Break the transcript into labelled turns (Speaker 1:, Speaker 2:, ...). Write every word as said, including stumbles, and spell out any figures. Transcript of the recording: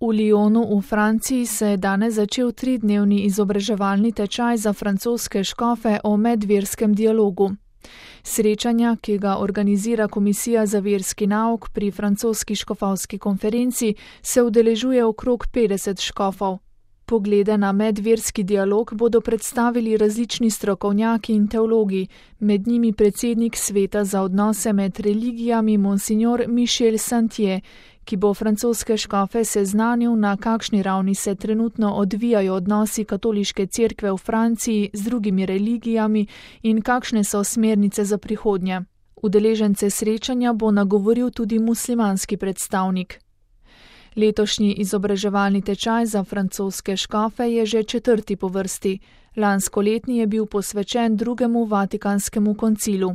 Speaker 1: V Lyonu v Franciji se je danes začel tridnevni izobraževalni tečaj za francoske škofe o medverskem dialogu. Srečanja, ki ga organizira Komisija za verski nauk pri francoski škofovski konferenci, se udeležuje okrog petdeset škofov. Poglede na medverski dialog bodo predstavili različni strokovnjaki in teologi, med njimi predsednik Sveta za odnose med religijami Monsignor Michel Santier, ki bo francoske škofe seznanil, na kakšni ravni se trenutno odvijajo odnosi katoliške cerkve v Franciji z drugimi religijami in kakšne so smernice za prihodnje. Udeležence srečanja bo nagovoril tudi muslimanski predstavnik. Letošnji izobraževalni tečaj za francoske škofe je že četrti po vrsti. Lanskoletni je bil posvečen drugemu vatikanskemu koncilu.